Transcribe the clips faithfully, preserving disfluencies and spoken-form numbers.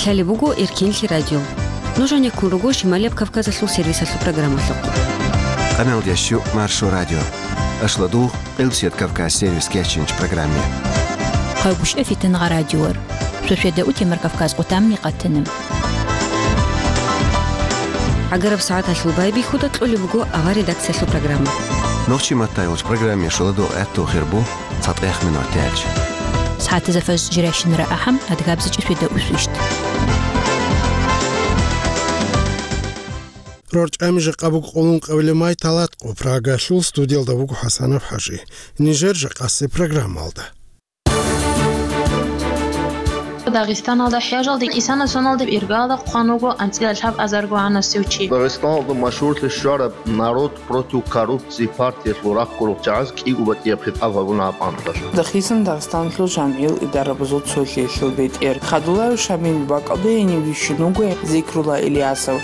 Лъалеб буго Эркенлъи радио. Нуж гьанеккун руго Шималияб Кавказалъул сервисалъул программалъухъ. Къамелдящу Маршо радио. Ашладугъ, Къилбсият Кавказ сервис кечинч программе. Хъагушев Фитангъа радиор. Шошеда утемар Кавказ къутамни къатана. ГӀагараб сагӀаталъул байбихьуда кьолеб буго авар редакциялъул программа. Нохчи маттайолч программе шоладугъ гӀатту хирбу. ЦатӀех минутиялъ. СагӀатазда фаж жирайщинара ахӀам, адгабзичӀи сведа усвищт. РорчӀами жакъа буго къолун къавиле май талат къо Прагалъул студиялда вуго ХӀасанов ХӀажи. Нижер жакъасе программалда. Дагъистаналда хӀяжалде кӀисана соналда иргалда хъван вуго анцӀила лъаб азарго гьанасев чи. Дагъистаналда машгьурлъи щвараб народ против коррупции партиялъул рахъ гурухъ чагӀаз кӀиго батӀияб хитӀаб гьабуна гьаб анкьалъ. Дагъисан Дагъистанлъул жамгӀил идарабазул цолъиялъул бетӀер Хадулаев Шамил бакӀалде гьенив вищун вуго Зикрула Ильясов.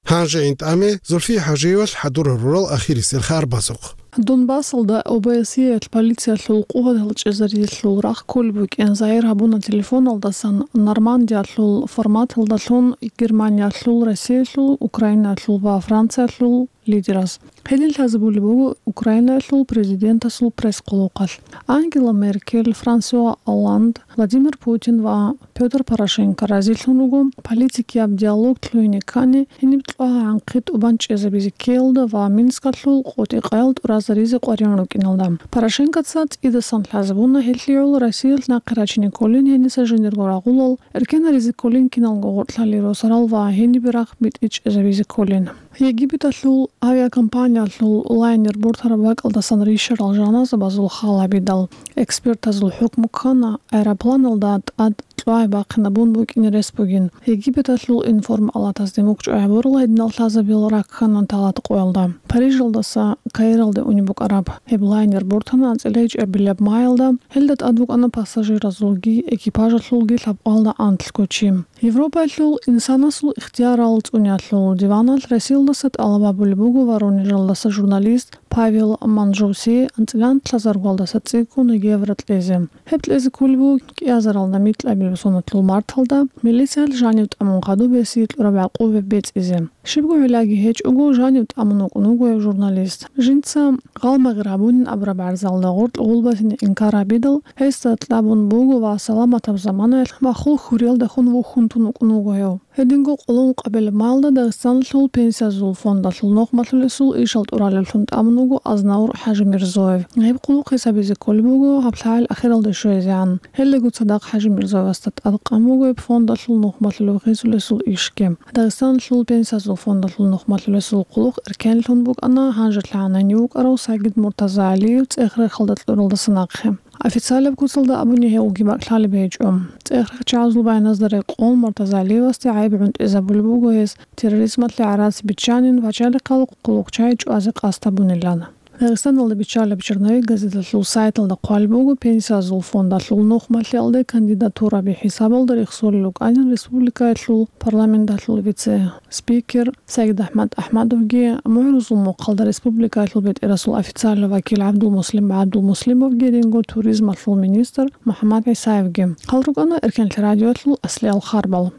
Гьанже интӀаме Зульфи ХӀажиевалъ хӀадурал рурал ахирисел хабар базухъ. Донбассалда ОБСЕялъ полициялъул къуватал чӀезариялъул рахъ кколеб букӀин загьир гьабуна телефоналдасан Нормандиялъул форматалдалъун Германиялъул, Россиялъул, Украинаялъул ва Франциялъул лидераз. Гьедин лъазабулеб буго Украинаялъул президентасул пресс-къулухъалъ. Ангела Меркель, Франсуа Олланд, Владимир Путин ва Пётр Порошенко разилъун руго политикияб диалог лъугьине ккани, гьениб кьвагӀа-гӀанхъи тӀубан чӀезабизе ккеялда ва Минскалъул къотӀи-къаял тӀуразаризе къваригӀун рукӀиналда. Порошенкоца цӀидасан лъазабуна гьелъ гӀоло Россиялъ нахъе рачине кколин гьениса жиндирго рагъулал, эркенлъаризе кколин киналго гъоркьлъалъе росарал ва гьенибе рахъ битӀи чӀезабизе кколин. Египеталъул авиакомпаниялъул лайнер бортараб бакӀалдасан рищарал жаназабазул хал гьабидал, экспертазул хӀукму ккана, аэропланалда тӀад кьвагӀи бахъинабун букӀине рес бугин. Египеталъул информ-палатазде мукӀчӀвай гьабурал гьединал лъазабил раккана талат къоялда. Парижалдаса Каиралде унеб букӀараб гьеб лайнер бортана анцӀила гьечӀебилаб маялда, гьелда тӀад букӀана пассажиразулги экипажалъулги лъабкъоялда анлъго чи. Европаялъул инсанасул ихтиярал цӀуниялъул диваналъ Россиялдаса тӀалаб гьабулеб буго Воронежалдаса журналист Павел Манжуси анцӀила анлъазаргоялдаса цӀикӀкӀун Евро кьезе. Гьеб кьезе кколеб буго кӀиазаралда микьабилеб соналъул марталда милициялъ жанив тӀамун хадуб гьесие кьураб гӀакъубаби бецӀизе. Щибго гӀиллаги гьечӀого жанив тӀамун вукӀун вуго гьев журналист. Жинца гъалмагъир гьабунин абураб гӀарзалда гъоркь гъулбатине инкар гьабидал, гьесда кьабун буго ва саламатаб заманаялъ махул хьуриялдехун вухьун тун вукӀун вуго гьев. Гьединго къоло ункъабилеб маялда Дагъистаналъул пенсиязул фондалъул нухмалъулесул ишал тӀуралевлъун тӀамун вуго Азнавур ХӀажимирзоев. Гьеб къулухъ гьесабизе кколеб буго гьаб лъагӀел ахиралде щвезегӀан. Гьелдаго цадахъ ХӀажимирзоевасда тӀадкъан буго гьеб фондалъул нухмалъулев гъезулесул ишги. Дагъистаналъул пенсиязул фондалъул нухмалъулесул къулухъ эркенлъун букӀана, гьанжелъагӀан гьенив вукӀарав Сагид Муртазагьалиев цӀех-рехалда кьуралдаса нахъе. Официалаб куцалда абуни гьев уги бакӀлъалеб гьечӀо. ЦӀех-рех чагӀазул баяназда рекъон Муртазагьалиевасде гӀайиб гӀунтӀизабулеб буго гьес терроризмалъе гӀарац биччанин ва пачалихъал къулухъчагӀи чӀвазе къасд гьабунилан. Дагъистаналда биччалаб «Черновик» газеталъул сайталда хъвалеб буго, пенсиязул фондалъул нухмалъиялде кандидатураби хӀисабалда рехсолел рукӀанин республикаялъул парламенталъул вице-спикер СагидахӀмад АхӀмадовги, мугӀрузул мухъалда республикаялъул бетӀерасул официальный вакил ГӀабдулмуслим ГӀабдулмуслимовги, гьединго туризмалъул министр МухӀаммад ГӀисаевги. Гьал рукӀана Эркенлъи радиоялъул аслиал харбал.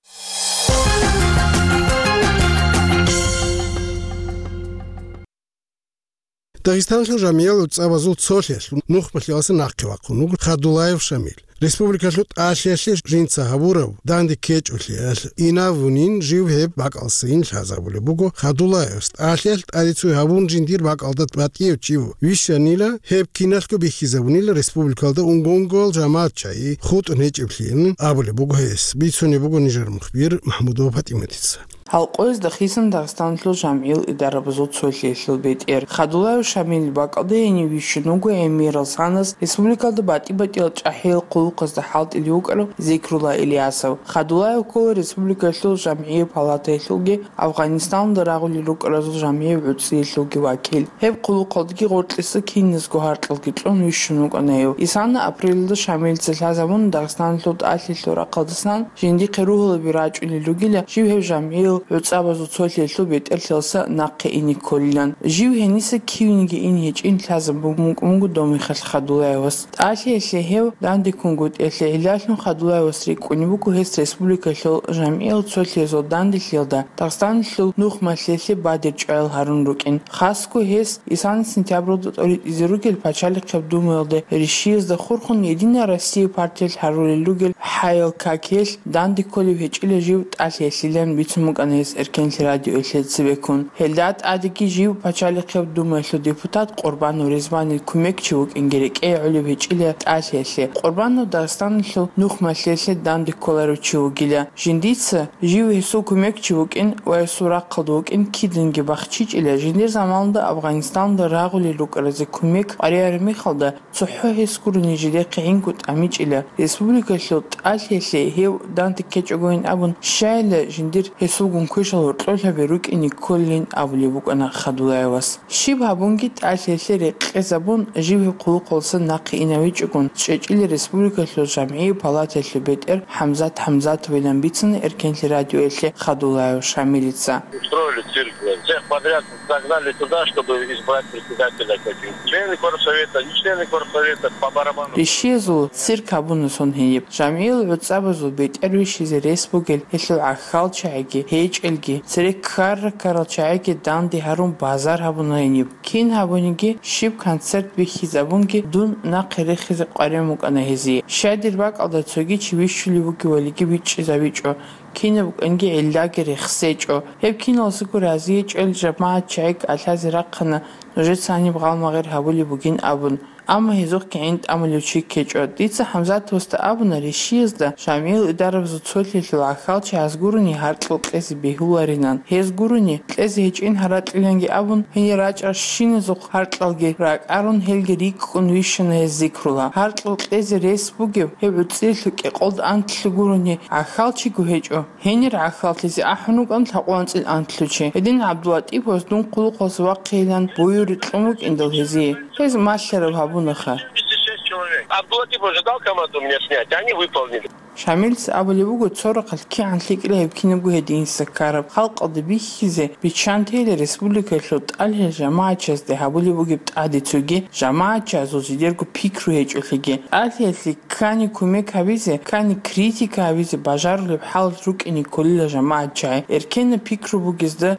Дагъистанлъул жамиялъул цӀабазул цолъиялъул нухмалъиялдаса нахъе вахъун вуго Хадулаев Шамил. Республикалъул тӀалъиялъе жинца гьабураб данде ккечӀолъиялъ инабунин жив гьеб бакӀалдасайин лъазабулеб буго Хадулаевас. ТӀалъиялъ тӀаде цой гьабун жиндир бакӀалда батӀияв чи ву. Вищанила, гьеб киналъго бихьизабунила республикалда унго-унгоял жамагӀат чагӀи хутӀун гьечӀеблъиялъин абулеб буго гьес. Бицунеб буго нижер мухбир Махмудова ПатӀиматица. Гьалкъоязда хисан Дагъистанлъул жамгӀил идарабазул цолъиялъул бетӀер Хадулаев Шамилил бакӀалде гьенив вищун вуго гӀемерал санас республикалда батӀи-батӀиял чӀахӀиял хъулухъазда хӀалтӀулев вукӀарав Зикрула Ильясов. Хадулаев ккола республикалъул жамгӀиял палатаялъулги Афгъанистанда рагъулел рукӀаразул жамгӀиял гӀуцӀиялъулги вакил. Гьеб хъулухъалдаги гъоркьиса киназго гьаркьалги кьун вищун вукӀана гьев. Исана апрелалда Шамилица лъазабуна Дагъистаналъул тӀалъиялъул рахъалдасан, жиндихъе ругьалаби рачӀунел ругила жив гьев жамгӀиял гӀуцӀабазул цолъиялъул бетӀерлъиялдаса нахъе ине кколилан. Жив гьениса кивениги ине гьечӀин лъазабун букӀун буго Домихалъ Хадулаевас. ТӀалъиялъе гьев дандеккунгутӀиялъе гӀиллалъун Хадулаевас рикӀкӀунеб буго гьес республикалъул жамгӀиял цолъиязул данделъиялда Дагъистаналъул нухмалъиялъе бадиб чӀваял гьарун рукӀин. Хасго гьес исани сентябралда тӀоритӀизе ругел пачалихъеб думаялде ришиязда хурхун Единая Россия партиялъ гьарулел ругел хӀаял какиялъ данде кколеб гьечӀила жив тӀалъиялъилан бицун букӀана гьес Эркенлъи радиоялъе цебеккун. Гьелда тӀадеги жив пачалихъеб думаялъул депутат Къурбанов Ризванил кумекчи вукӀинги рекӀее гӀолеб гьечӀила тӀалъиялъе. Къурбанов Дагъистаналъул нухмалъиялъе данде кколарев чи вугила. Жиндица жив гьесул кумекчи вукӀин ва гьесул рахъалда вукӀин киданги бахчичӀила, жиндир заманалда Афганистаналда рагъулел рукӀаразе кумек къваригӀараб мехалда, цохӀо гьес гурони жидехъе гӀинкӀун тӀамичӀила, республикалъул тӀалъиялъе гьев данде ккечӀогойин абун щайила, жиндир гьесулгун квешал гьоркьоб гьабизе рукӀине кколин абулеб букӀана Хадулаевас. Щиб гьабунги тӀалъиялъе рекъезабун, жив гьеб хъулухъалдаса нахъе иневичӀогун, чӀечӀила республикалъул жамгӀиял палатаялъул бетӀер ХӀамзат ХӀамзатовилан бицана Эркенлъи радиоялъе Хадулаев Шамилица. Устроили цирк, всех подряд загнали туда, чтобы избрать председателя каких-то. Члены горсовета, не члены горсовета, по барабану. Ришиязул цирк гьабуна сон гьениб. ЖамгӀиял гӀуцӀабазул бетӀер вищизе рес бугел гьелъул гӀахьалчагӀиги, гьечӀелги, цере ккара-ккарал чагӀиги данде гьарун базар гьабуна гьениб. Кин гьабуниги, щиб концерт бихьизабунги, дун нахъе рехизе къваригӀун букӀана гьезие. Щай дир бакӀалда цоги чи вищулев вугевалиги бичӀчӀизабичӀо, кинаб букӀанги гӀиллаги рехсечӀо. Гьеб киналдасаго разиячӀел жамагӀат чагӀи кӀалъазе рахъана нужеца гьаниб гъалмагъир гьабулеб бугин абун. Амма гьезухъги гӀин тӀамулев чи ккечӀо. Дица ХӀамзатовасда абуна, ришиязда жамгӀиял идарабазул цолъиялъул гӀахьалчагӀаз гурони гьаркьал кьезе бегьуларинан. Гьез гурони кьезе гьечӀин гьаракьиланги абун, гьенир рачӀарал щиназухъ гьаркьалги ракӀарун, гьелги рикӀкӀун вищана гьез зикрула. Гьаркьал кьезе рес бугев гьев гӀуцӀиялъул кӀикъоялда анлъго гурони гӀахьалчиго гьечӀо. Гьенир гӀахьаллъизе ахӀун рукӀана лъабкъоялда анцӀила анлъго чи. Гьедин ГӀабдулатӀиповас дун хъулухъалдаса вахъейилан буюркьун букӀиндал гьезие. Гьез малъараб гьабунаха. Семьдесят шесть человек. Абдулатипов же дал команду меня снять, они выполнили. Шамилица абулеб буго, цо рахъалъ кигӀан лъикӀила гьеб кинабго гьединса ккараб, халкъалда бихьизе, биччан тейила республикалъул тӀалъиялъ жамагӀатчиязде гьабулеб бугеб тӀаде цоги, жамагӀатчиязул жидерго пикру гьечӀолъиги. ТӀалъиялъе ккани кумек гьабизе, ккани критика гьабизе бажарулеб хӀал рукӀине кколила жамагӀатчагӀи. Эркенаб пикру бугезда,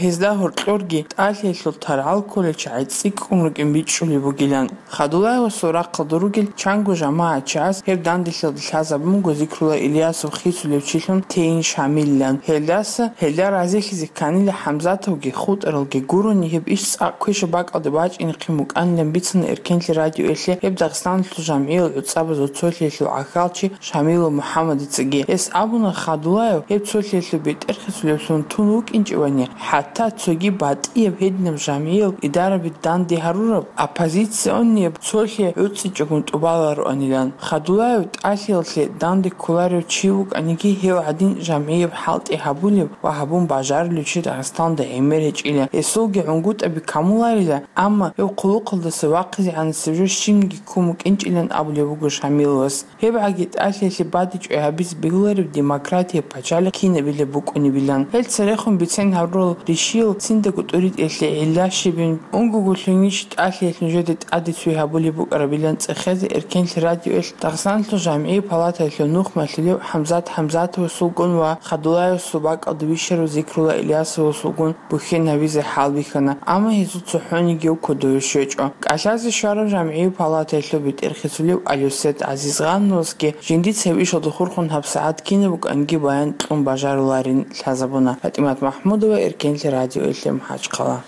гьесда гьоркьорги тӀалъиялъул таргӀал кколел чагӀи цӀикӀкӀун рукӀин бичӀчӀулеб бугилан. Хадулаевасул рахъалда ругел чанго жамагӀатчагӀаз гьеб данделъиялда лъазабун буго зикрула Ильясов хисулев чилъун тейин Шамилилан. Гьелдаса, гьелда разилъизе кканила ХӀамзатовги хутӀаралги гурони, гьеб иш цӀакъ квешаб бакӀалде бачӀинехъин букӀанилан бицана Эркенлъи радиоялъе гьеб Дагъистаналъул жамгӀиял гӀуцӀабазул цолъиялъул гӀахьалчи Шамилов МухӀаммадицаги. Гьес абуна, Хадулаев гьеб цолъиялъул бетӀер хисулевлъун тун вукӀинчӀевани, хӀатта цоги батӀияб гьединаб жамгӀиял идараби данде гьарураб оппозиционияб цолъи гӀуцӀичӀогун тӀубалароанилан. Хадулаев тӀалъиялъе данде кколарев чи вукӀаниги, гьев гӀадин жамгӀияб хӀалтӀи гьабулев ва гьабун бажарулев чи Дагъистаналда гӀемер гьечӀила. Гьесулги гӀунгутӀаби камуларила, амма гьев хъулухъалдаса вахъизегӀанасеб жо щибниги ккун букӀинчӀилан абулеб буго Шамиловас. ГьебгӀаги тӀалъиялъе бадиб чӀвай гьабизе бегьулареб демократияб пачалихъ кинабилеб букӀунебилан. Гьел церехун бицен гьарурал ришиял циндаго тӀуритӀиялъе гӀилла щибин унгоголъунищ тӀалъиялъ нужеда тӀаде цой гьабулеб букӀарабилан цӀехезе Эркенлъи радиоялъ Дагъистаналъул жамгӀиял палатаялъул нухмалъулев ХӀамзат ХӀамзатовасулгун ва Хадулаевасул бакӀалда вищарав Зикрула Ильясовасулгун бухьен гьабизе хӀалбихьана, амма гьезул цохӀонигияв кодове щвечӀо. КӀалъазе щварав жамгӀиял палатаялъул бетӀер хисулев Алюсет ГӀазизгъановасги жиндица гьеб ишалда хурхун гьабсагӀат кинаб букӀанги баян кьун бажаруларин лъазабуна. ПатӀимат МахӀмудова, Эркенлъи радиоялъе, МахӀачхъала.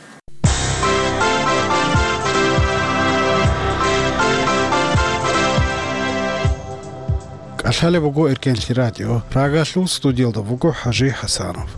КӀалъалеб буго Эркенлъи радио. Прагалъул студиялда вуго ХӀажи ХӀасанов.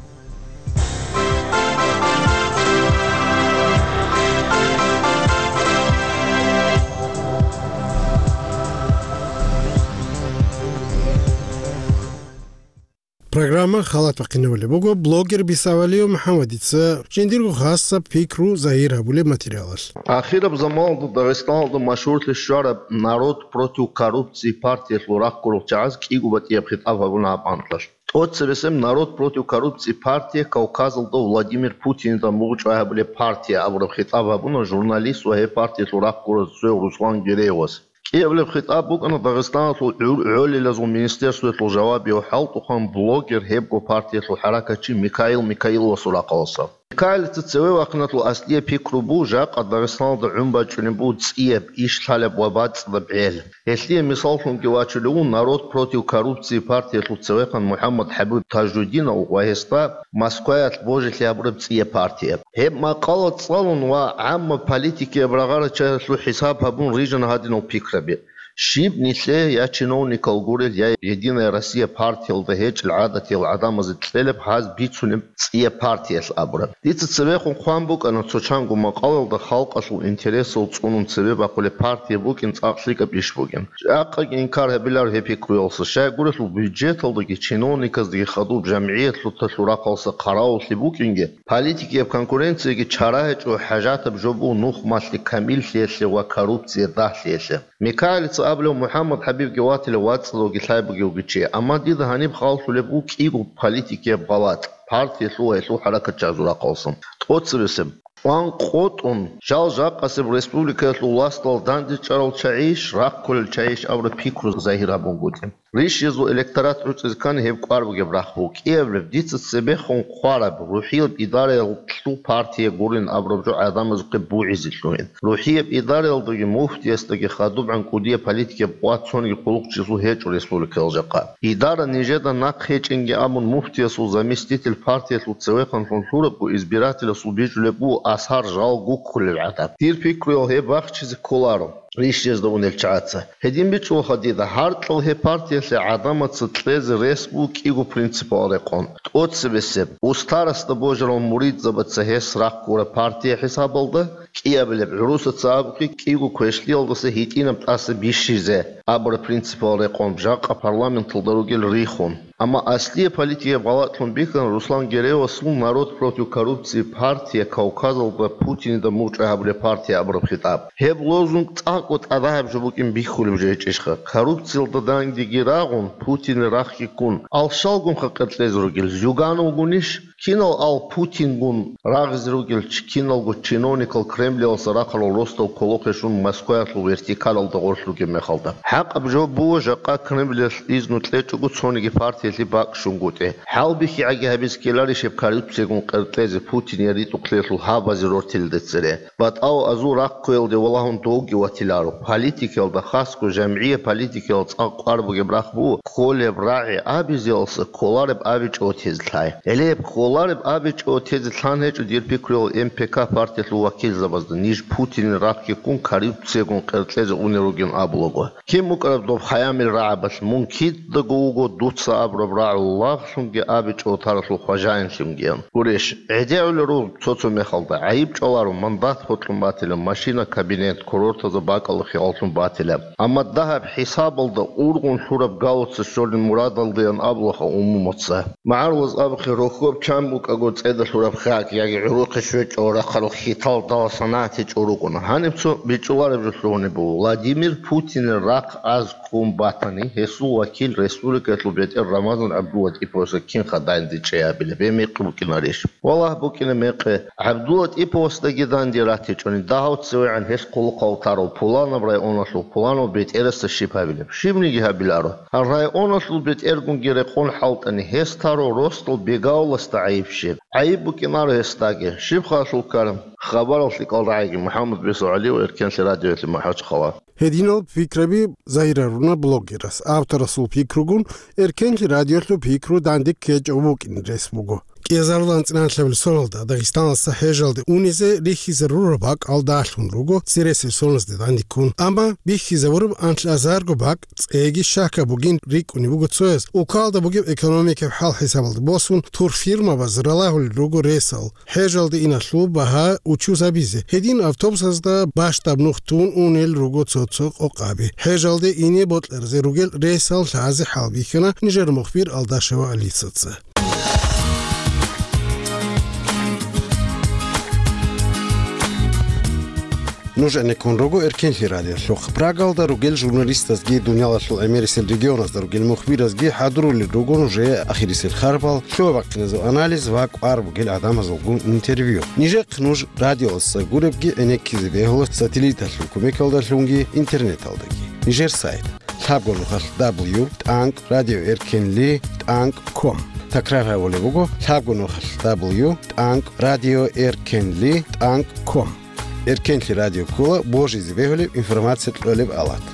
Программа халат бахъинавулеб буго блогер Бисавалиев МухӀаммадица жиндирго хасаб пикру загьир гьабулеб материалалъ. Ахираб заманалда Дагъистаналда машгьурлъи щвараб «Народ против коррупции» партиялъул рахъ гурел чагӀаз кӀиго батӀияб хитӀаб гьабуна гьаб анкьалъ. ТӀоцебесеб «Народ против коррупции» партия Кавказалда Владимир Путинида мугъчӀвай гьабулеб партия абураб хитӀаб гьабуна журналист ва гьеб партиялъул рахъ гурав цояв Руслан Гереевас. КӀиабилеб хитӀаб букӀана Дагъистаналъул гӀур-, гӀолилазул министерствоялъул жавабияв хӀалтӀухъан блогер, гьебго партиялъул хӀаракатчи Микаил Микаиловасул рахъалъа. Микаилица цеве вахъиналъул аслияб пикру буго жакъа Дагъистаналда гӀун бачӀунеб буго цӀияб, иш лъалеб ва бацӀцӀадаб гӀел. Гьелъие мисаллъунги вачулев вуго «Народ против коррупции» партиялъул цевехъан МухӀаммад ХӀабиб Тажудинов ва гьесда Москваялъ божилъи гьабураб цӀияб партия. Гьеб макъала цӀалун ва гӀаммаб политикияб рагъарачагӀазул хӀисаб гьабун рижана гьадинал пикраби. Щиб нилъее я чиновникал гурел, я «Единая Россия» партиялда гьечӀел гӀадатиял гӀадамазе кьелеб гьаз бицунеб цӀияб партиялъ абураб. Дица цебехун хъван букӀана цо чанго макъалалда халкъалъул интересал цӀунун цебе бахъулеб партия букӀин цӀакъ лъикӀаб иш бугин. Жакъаги инкар гьабиларо гьеб пикруялъа, щайгурелъул бюджеталдаги чиновниказдаги хадуб жамгӀиятлъуталъул рахъалъа хъаравуллъи букӀинги, политикияб конкуренцияги чара гьечӀо, хӀажатаб жо буго нухмалъи камиллъиялъе ва коррупция дагьлъиялъе. Микаилица абулев МухӀаммад ХӀабибги ватила вацӀцӀадавги лъай бугевги чи, амма дида гьаниб хал лъулеб буго кӀиго политикияб гъалатӀ, партиялъул ва гьелъул хӀаракатчагӀазул рахъалъа. ТӀоцебесеб, чӀван къотӀун, жал-жакъасеб республикаялъул власталда дандечӀарал чагӀийищ, рахъ кколел чагӀийищ абураб пикру загьир гьабунгутӀи. Рищезул электорат гӀуцӀизе ккани гьеб кӀвар бугеб рахъ буго. КӀиабилеб, дица цебехун хъвараб, рухӀияб идараялъул партия гурин абураб жо гӀадамазухъе бугӀизе лъугьин. РухӀияб идараялдаги муфтиясдаги хадубгӀан кӀудияб политикияб къват цониги хъулухъчиясул гьечӀо республикаялъ жакъа. Идара нижеда нахъ гьечӀинги абун, муфтиясул заместитель партиялъул цевехъанлъун лъурабго избирателасул бичӀчӀулеб буго асар жал гуккулел гӀадаб. Дир пикруял гьеб бахчизе кколаро. Рищезда унел чагӀаца. Гьедин бичӀчӀулаха дида, гьаркьал гьеб партиялъе гӀадамаца кьезе рес буго кӀиго принципал рекъон. ТӀоцебесеб, устарасда божарал муридзабаца гьес рахъ гураб партия хӀисабалда, кӀиабилеб, гӀурусаца абухъе, кӀиго квешлъиялдаса гьитӀинаб тӀаса бищизе абураб принципал рекъон, жакъа парламенталда ругел рихун. Амма аслияб политикияб гъалатӀлъун бихьана Руслан Гереевасул «Народ против коррупции» партия Кавказалда Путинида мугъчӀвай гьабулеб партия абураб хитӀаб. Гьеб лозунг цӀакъго тӀадагьаб жо букӀин бихьулеб жо гьечӀищха? Коррупциялда дандеги рагъун, Путинил рахъги ккун, ал щалгунха къеркьезе ругел, Зюгановгунищ? Кинал ал Путингун рагъизе ругел чи-, киналго чиновникал Кремлиялъа рахъарал росдал кколохъе щун Москваялъул вертикалалда гъорлъ ругеб мехалда? ХӀакъаб жо буго, жакъа Кремлиялъ изну кьечӀого цониги партиялъе бакӀ-щунгутӀи. ХӀалбихьи гӀаги гьабиз ккеларищ гьеб коррупциягун къеркьезе Путин я ритӀухълъиялъул гьабазе рортилелде цере? БатӀал азул рахъ кквеялде валагьун довги ватиларо. Политикиялда, хасго жамгӀияб политикиял цӀакъ кӀвар бугеб рахъ буго, кколеб рагӀи абизеялса кколареб абичӀого тезе лъай. Гьеле гьеб кколареб абичӀого тезе лъан гьечӀо, дир пикруял, М П К партиялъул вакилзабазда, ниж Путинил рахъги ккун коррупциягун къеркьезе унел ругин абулаго. Кин букӀараб доб хӀаямил рагӀабалъ, мун кидаго вуго дуца абураб рагӀул лагълъунги абичӀого таралъул хважаинлъунгиян. Гурищ, гӀедегӀулел руго цо-цо мехалда, гӀайиб чӀваларо, мандат гьоркьун батила, машина, кабинет, курортазда бакӀалда хияллъун батила. Амма дагьаб хӀисабалда ургъун лъураб галуца щолин мурадалдаян абулаха умумуца. МагӀарулаз абухъе, рохьоб чан букӀаго цӀеда лъураб хак яги гӀурухъе щвечӀого рахъарал хьиталдалъ санагӀат гьечӀо рукӀуна. Гьаниб цо бичӀчӀулареб жо лъугьунеб буго. Владимир Путинил рахъ аз ккун батани, гьесул вакил, республикаялъул бетӀер Рамазан ГӀабдуллатӀиповасда кинха данде чӀей абилеб? Гьеб мекъи букӀинарищ? Валлагь, букӀина мекъи. ГӀабдуллатӀиповасдаги данде ратичӀони, дагьав цевегӀан гьес хъулухъав тарав, пуланаб районалъул пуланав бетӀерасда щиб гьабилеб? Щибниги гьабиларо. Гьал районалъул бетӀергунги рекъон хӀалтӀани, гьес тарав росдал Бегавуласда гӀайиб щиб? ГӀайиб букӀинаро гьесдаги. Щиб халлъул ккар? Хабарал лъикӀал рагӀиги, МухӀаммад Бесо ГӀалиев, Эркенлъи радиоялъе, МахӀачхъала. Гьединал пикраби загьир гьаруна блогерас. Авторасул пикругун Эркенлъи радиоялъул пикру данде ккечӀев вукӀин рес буго. КӀиазарулан анцӀила анлъабилеб соналда Дагъистаналдаса ХӀежалде унизе рихьизарураб бакӀал дагьлъун руго цересел соналазде данде ккун, амма бихьизабураб анлъазарго бакӀ цӀеги щакаб бугин рикӀкӀунеб буго цояз. Улкалда бугеб экономикаб хӀал-хӀисабалда босун, турфирмабаз ралагьулел руго ресал, ХӀежалде иналъул багьа учуз гьабизе. Гьедин автобусазда бащдаб нух тун унел руго цо-цо къокъаби. ХӀежалде ине бокьаразе ругел ресал лъазе хӀалбихьана нижер мухбир Алдашева Алисаца. Нуж гӀенеккун руго Эркенлъи радиолъухъ. Прагалда ругел журналистазги дуниялалъул гӀемерисел регионазда ругел мухбиразги хӀадурулел руго нужее ахирисел харбал, лъугьа-бахъиназул анализ ва кӀвар бугел гӀадамазулгун интервью. Нижехъ нуж радиоялдаса гуребги гӀенеккизе бегьула сателлиталъул кумекалдалъунги интернеталдаги. Нижер сайт: лъабго нухалъ дабл ю тӀанкӀ радио эркенли тӀанкӀ ком. Такрар гьабулеб буго: лъабго нухалъ дабл ю тӀанкӀ радио эркенли тӀанкӀ ком. Эркенлъи радио ккола божизе бегьулеб информация кьолеб алат.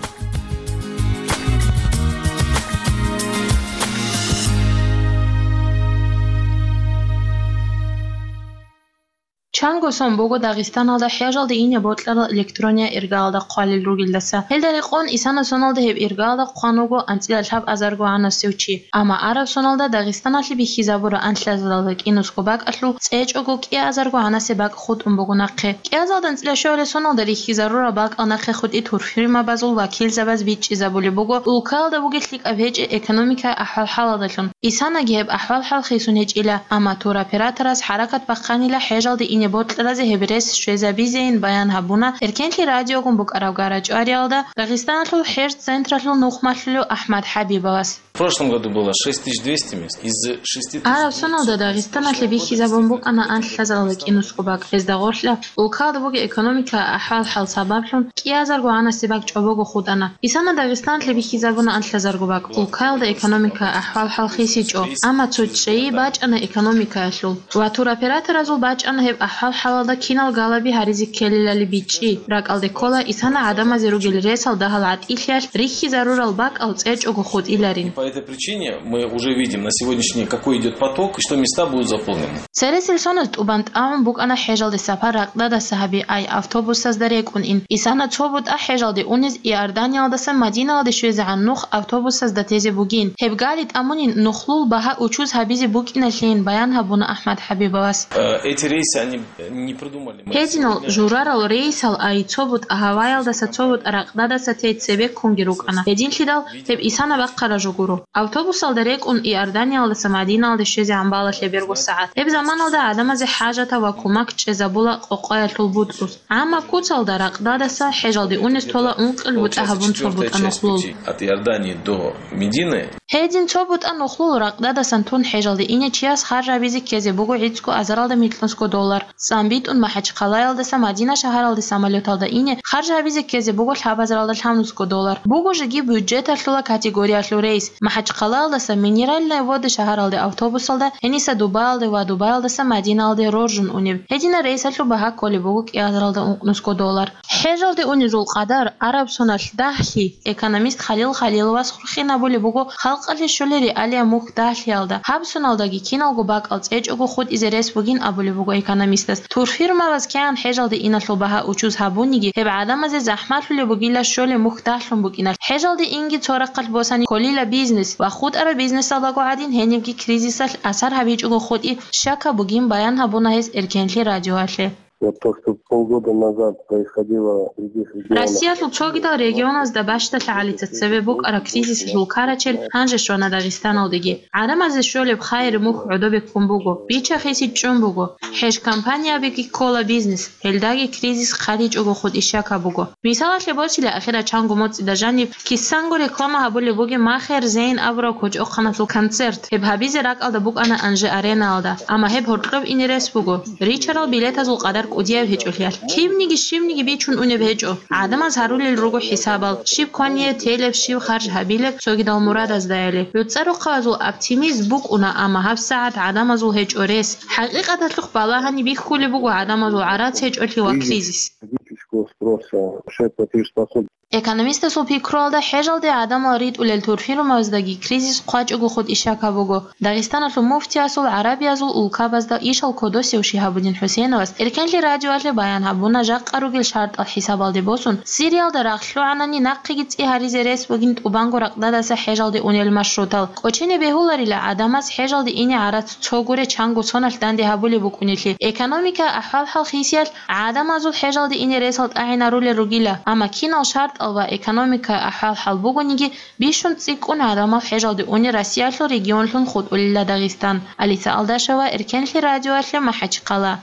Чанго сон буго Дагъистаналда хӀежалде ине бокьарал электрония иргаялда хъвалел ругелдаса. Гьелда рекъон исана соналда гьеб иргаялда хъван вуго анцӀила лъабазарго гӀанасев чи. Амма араб соналда Дагъистаналъе бихьизабураб анлъазаралда кӀинусго бакӀалъул цӀечӀого кӀиазарго гӀанасеб бакӀ хутӀун буго нахъе. КӀиазалда анцӀила щуабилеб соналда рихьизарураб бакӀал нахъе хутӀи турфирмабазул вакилзабаз бичӀчӀизабулеб буго улкалда бугеб лъикӀаб гьечӀеб экономикаялъул ахӀвал-хӀалалдалъун. Исанаги гьеб ахӀвал-хӀал хисун гьечӀила, амма туроператорас хӀаракат бахъанила хӀежалде ине бокьаразе гьеб рес щвезабизейин баян гьабуна Эркенлъи радиогун букӀараб гара-чӀвариялда Дагъистаналъул хӀеж-централъул нухмалъулев АхӀмад ХӀабибовас. В прошлом году было шесть тысяч двести мест. Из шести тысяч... Араб соналда Дагъистаналъе бихьизабун букӀана анлъазаралда кӀинусго бакӀ. Гьезда гъорлъа улкалда бугеб экономикаялъул ахӀвал-хӀал сабаблъун кӀиазарго гӀанасеб бакӀ чӀобого хутӀана. Исана Дагъистаналъе бихьизабуна анлъазарго бакӀ. Улкаялда экономикаялъул ахӀвал-хӀал хисичӀо, амма цо чӀей бачӀана экономикаялъул. Ва туроператоразул бачӀана гьеб ахӀвал-хӀалалда кинал галаби гьаризе ккелилали бичӀчӀи. РакӀалде ккола исана гӀадамазе ругел ресал дагьал гӀатӀилъиялъ рихьизарурал бакӀал цӀечӀого хутӀиларин. По этой причине мы уже видим на сегодняшний день, какой идёт поток и что места будут заполнены. Цересел соназ тӀубан тӀамун букӀана хӀежалде сапар ракьдадаса гьаби, ай автобусазда рекӀун ин. Исана цо бутӀа хӀежалде унез Иорданиялдаса Мадинаялде щвезегӀан нух автобусазда тезе бугин. Гьеб гали тӀамунин нухлул багьа учуз гьабизе букӀиналъейин баян гьабуна АхӀмад ХӀабибовас. Э, эти рейсы, они не придумали мы. Гьединал сегодня журарал рейсал, ай цо бутӀа гьаваялдаса цо бутӀа ракьдадаса тей цебеккунги рукӀана. Гьединлъидал гьеб исана бахъараб жо гуро. Автобусалда рекӀун Иорданиялдаса Мадинаялде щвезегӀан бала лъеберго сагӀат. Гьеб заманалда гӀадамазе хӀажатаб ва кумак чӀезабула къокъаялъул бутӀрус. Амма куцалда ракьдадаса хӀежалде унез тола ункъил бутӀа гьабун цо бутӀа нухлул. От Иордании до Медины. Гьедин цо бутӀа нухлул ракьдадасан тун хӀежалде ине чияс харж гьабизе ккезе буго гӀицӀго азаралда микьнусго доллар. ЦӀам битӀун МахӀачхъалаялдаса Мадина шагьаралде самолёталда ине харж гьабизе ккезе буго лъабазаралда лъабнусго доллар. Буго жеги бюджеталъула категориялъул рейс. МахӀачхъалаялдаса Минеральные Воды шагьаралде автобусалда, гьениса Дубаялде ва Дубаялдаса Мадинаялде роржун унеб. Гьединал рейсалъул багьа кколеб буго кӀиазаралда ункънусго доллар. ХӀежалде унезул къадар араб соналъ дагьлъи экономист Халил Халиловас хурхинабулеб буго халкъалъе щолел реалия мухь дагьлъиялда. Гьаб соналдаги киналго бакӀал цӀечӀого хутӀизе рес бугин абулеб буго экономистас. Турфирмабаз кигӀан хӀежалде иналъул багьа учуз гьабуниги, гьеб гӀадамазе захӀмалъулеб бугила щолеб мухь дагьлъун букӀиналъ. ХӀежалде инги цо рахъалъ босани кколила бизнес ва хутӀараб бизнесалдаго гӀадин гьенибги кризисалъ асар гьабичӀого хутӀи щакаб бугин баян гьабуна гьес Эркенлъи радиоялъе. Вот то, что полгода назад происходило в других регионах. Россиялъул цогидал регионазда бащдалъа гӀалица цебе букӀараб кризисалъул карачел гьанже щвана Дагъистаналдеги. ГӀадамазе щолеб хайир мухь гӀодобе ккун буго, бича-хиси чӀун буго, хӀеж-компаниябиги ккола бизнес, гьелдаги кризис хъаричӀого хутӀи щакаб буго. Мисалалъе босила, ахирал чанго моцӀида жаниб кисанго реклама гьабулеб бугеб Махер Зейн абураб кочӀохъаналъул концерт. Гьеб гьабизе ракӀалда букӀана Анжи Аренаялда, амма гьеб гьоркьоб ине рес буго, ричарал билетазул къадар кӀудияб гьечӀолъиялъ. Кибниги щибниги бичун унеб гьечӀо. ГӀадамаз гьарулел руго хӀисабал, щиб квание телеб, щиб харж гьабилеб цогидал мурадаздаяли. ГӀуцӀа рохъабазул оптимизм букӀуна, амма гьабсагӀат гӀадамазул гьечӀо рес. ХӀакъикъаталъухъ балагьани бихьулеб буго гӀадамазул гӀарац гьечӀолъи ва кризис. Физического спроса, мешает платежеспособность. Экономистасул пикруялда, хӀежалде гӀадамал ритӀулел турфирумаздаги кризис хъвачӀого хутӀищака буго. Дагъистаналъул муфтиясул гӀарабиязул улкабазда ишал кодосев Шигьабуддин ХӀусейновас Эркенлъи радиоялъе баян гьабуна жакъа ругел шартӀал хӀисабалде босун, Сириялда рагъ лъугӀанани нахъеги цӀи гьаризе рес бугин тӀубанго ракъдадаса хӀежалде унел маршрутал. КӀочене бегьуларила гӀадамаз хӀежалде ине гӀарац цо гуре чанго соналъ данде гьабулеб букӀунелъи. Экономикаялъул ахӀвал-хӀал хисиялъ гӀадамазул хӀежалде ине ресал тӀагӀинарулел ругила, амма кинал шартӀал ва экономикаялъул ахӀвал-хӀал бугониги, бищун цӀикӀкӀун гӀадамал хӀежалде унел Россиялъул регионлъун хутӀулила Дагъистан. Алиса Алдашева, Эркенлъи радиоялъе, МахӀачхъала.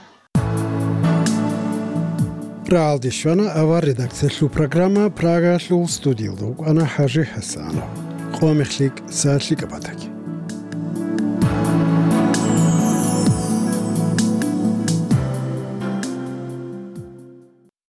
РагӀалде щвана авар редакциялъул программа. Прагаялъул студиялда вукӀана ХӀажи ХӀасанов. Къо мехлъи, са лъикӀаб батаги.